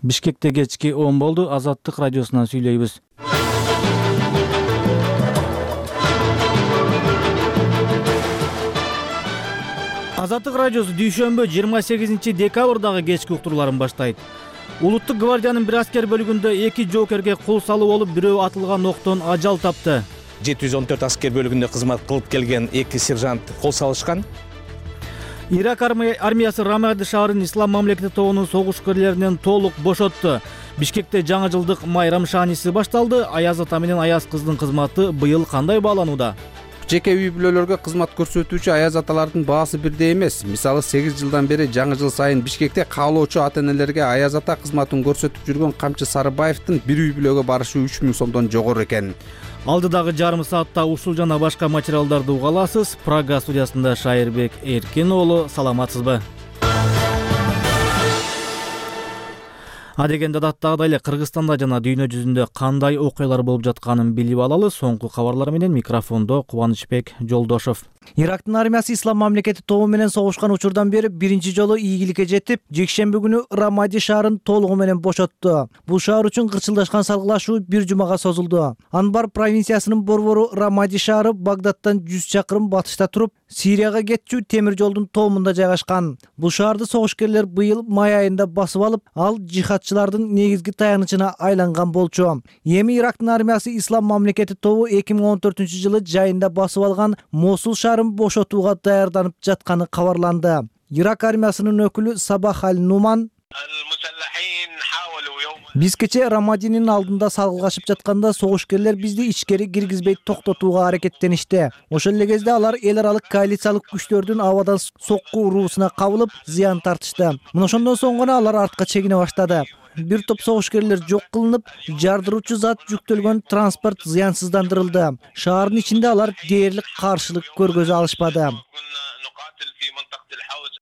Бишкекте кечки 10 болду. Азаттык радиосунан сүйлөйбүз. Азаттык радиосу дүйшөмбү 28 декабрдагы кечки уктурууларын баштайт. Улуттук гвардиянын бир аскер бөлүгүндө 2 жоокерге кол салуу болуп, бирөө атылган октон ажал тапты. 714 аскер бөлүгүндө кызмат кылып келген 2 сержант кол салышкан. Ирак армиясы Рамади шаарынын Ислам мамлекети тобунун согушкерлеринен толук бошотту. Бишкекте жаңы жылдык майрам шааниси башталды. Аяз ата менен Аяз кыздын кызматы быйыл кандай бааланууда? Жеке үй бүлөлөргө кызмат көрсөтүүчү аяз аталардын баасы бирдей эмес. Мисалы 8 жылдан бери жаңы жыл сайын Бишкекте каалоочу ата-энелерге аяз ата кызматын көрсөтүп жүргөн Камчы Сарыбаевдин бир үй бүлөгө барышы 3000 сомдон жогору экен. Алдыдагы жарым саатта ушул жана башка материалдарды уга аласыз. Прага студиясында Шайырбек Эркин уулу, саламатсызбы? Адегенде даттагыдай эле Кыргызстанда жана дүйнө жүзүндө кандай окуялар болуп жатканын билип алалы. Соңку кабарлар менен микрофондо Кубанычбек Жолдошов. Ирактын армиясы Ислам мамлекети тобу менен согушкан учурдан бери биринчи жолу ийгиликке жетип, жекшемби күнү Рамади шаарын толугу менен бошотту. Бул шаар үчүн кырчылдашкан салгылашуу бир жумага созулду. Анбар провинциясынын борбору Рамади шаары Багдадтан 100 чакырым батышта туруп, Сирияга кетчү темир жолдун тоомунда жайгашкан. Бул шаарды согушкерлер быйыл май айында басып алып, ал жихадчылардын негизги таянычына айланган болчу. Эми Ирактын армиясы Ислам мамлекети тобу 2014-жылы жайында басып алган Мосул шаарын бошотууга даярданып жатканы кабарланды. Ирак армиясынын өкүлү Сабах аль-Нуман: Биз кече Рамадинин алдында салгылашып жатканда согушкерлер бизди ичкери киргизбей токтотууга аракеттеништи. Ошол эле кезде алар эл аралык коалициялык күчтөрдүн абадан сокку уруусуна кабылып, зыян тартышты. Мына ошондон соң гана алар артка чегине баштады. Бир топ согушкерлер жок кылынып, жардыруучу зат жүктөлгөн транспорт зыянсыздандырылды. Шаардын ичинде алар дээрлик каршылык көргөзө алышпады,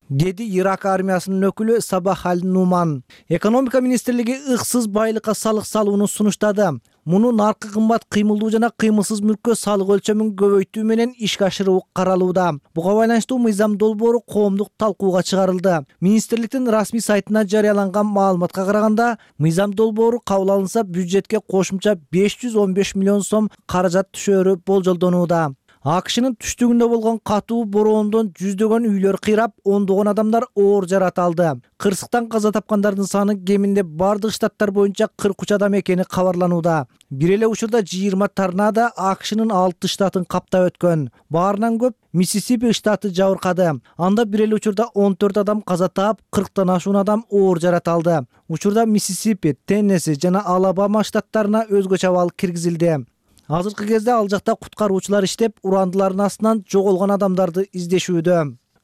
деди Ирак армиясынын өкүлү Сабах аль-Нуман. Экономика министрлиги ыксыз байлыкка салык салууну сунуштады. Муну наркы кымбат кыймылдуу жана кыймылсыз мүлккө салык өлчөмүн көбөйтүү менен ишке ашыруу каралууда. Буга байланыштуу мыйзам долбоору коомдук талкууга чыгарылды. Министрликтин расмий сайтына жарыяланган маалыматка караганда, мыйзам долбоору кабыл алынса, бюджетке кошумча 515 миллион сом каражат түшөөрү болжолдонууда. АКШнын түштүгүндө болгон катуу бороондон жүздөгөн үйлөр кыйрап, ондогон адамдар оор жарат алды. Кырсыктан каза тапкандардын саны кеминде бардык штаттар боюнча 43 адам экени кабарланууда. Бир эле учурда 20 торнадо АКШнын 6 штатын каптап өткөн. Баарынан көп Миссисипи штаты жабыркады. Анда бир эле учурда 14 адам каза таап, 40тан ашуун адам оор жарат алды. Учурда Миссисипи, Теннесси жана Алабама штаттарына өзгөчө абал киргизилди. Азыркы кезде ал жакта куткаруучулар иштеп, урандылардын астынан жоголгон адамдарды издешүүдө.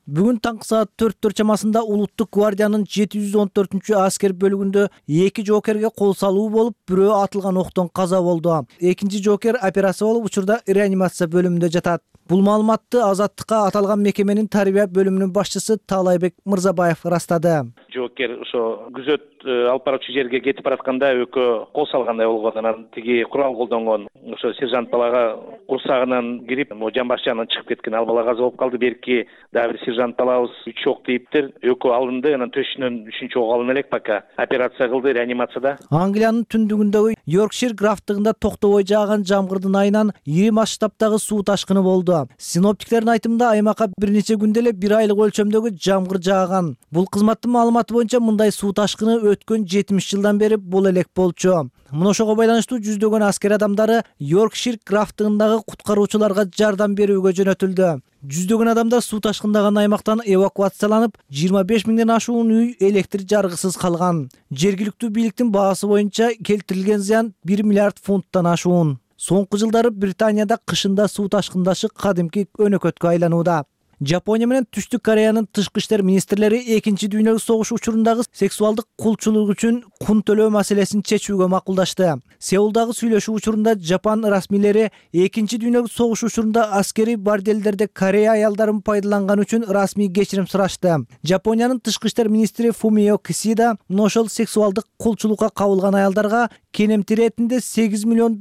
Бүгүн таңкы саат 4 чамасында Улуттук гвардиянын 714 аскер бөлүгүндө 2 жоокерге кол салуу болуп, бирөө атылган октон каза болду. Экинчи жоокер операция болуп, учурда реанимация бөлүмүндө жатат. Бул маалыматты Азаттыкка аталган мекеменин тарбия бөлүмүнүн башчысы Таалайбек Мырзабаев ырастады. Жоокер ошо күзөт алып баруучу жерге кетип баратканда экөө кол салгандай болгон. Анан тиги курал колдонгон ошо сержант балага курсагынан кирип, жамбаш жагынан чыгып кеткен. Ал бала каза болуп калды. Берки дагы бир сержант балабыз 3 ок тийиптир. Экөө алынды. Анан төшүнөн 3-чү ок алына элек пока операция кылды реанимацияда. Англиянын түндүгүндөгү Йоркшир графтыгында токтобой жааган жамгырдын айынан ири масштабтагы суу ташкыны болду. Синоптиктердин айтымында аймакка бир нече күндө эле 1 айлык өлчөмдөгү жамгыр жааган. Бул кызматтын маалыматы боюнча мындай суу ташкыны өткөн 70 жылдан бери боло элек болчу. Мына ошого байланыштуу жүздөгөн аскер адамдары Йоркшир графтыгындагы куткаруучуларга жардам берүүгө жөнөтүлдү. Жүздөгөн адамдар суу ташкындаган аймактан эвакуацияланып, 25 миңден ашуун үй электр жаргысыз калган. Жергиликтүү бийликтин баасы боюнча келтирилген зыян 1 миллиард фунттан ашуун. Соңку жылдары Британияда кышында суу ташкындашы кадимки өнөкөткө айланууда. Жапония менен Түштүк Кореянын тышкы иштер министрлери экинчи дүйнөлүк согуш учурундагы сексуалдык кулчулук үчүн кун төлөө маселесин чечүүгө макулдашты. Сеулдагы сүйлөшүү учурунда Жапон расмийлери экинчи дүйнөлүк согуш учурунда аскерий борделдерде Корея аялдарын пайдаланган үчүн расмий кечирим сурашты. Жапониянын тышкы иштер министри Фумио Кисида ошол сексуалдык кулчулукка кабылган аялдарга кенемти иретинде $8 миллион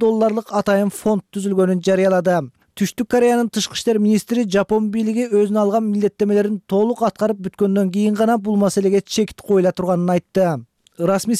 атайын фонд түзүлгөнүн жарыялады. Түштүк Кореянын тышкы иштер министри Жапон бийлиги өзүнө алган милдеттемелерин толук аткарып бүткөндөн кийин гана бул маселеге чек коюла турганын айтты. Расмий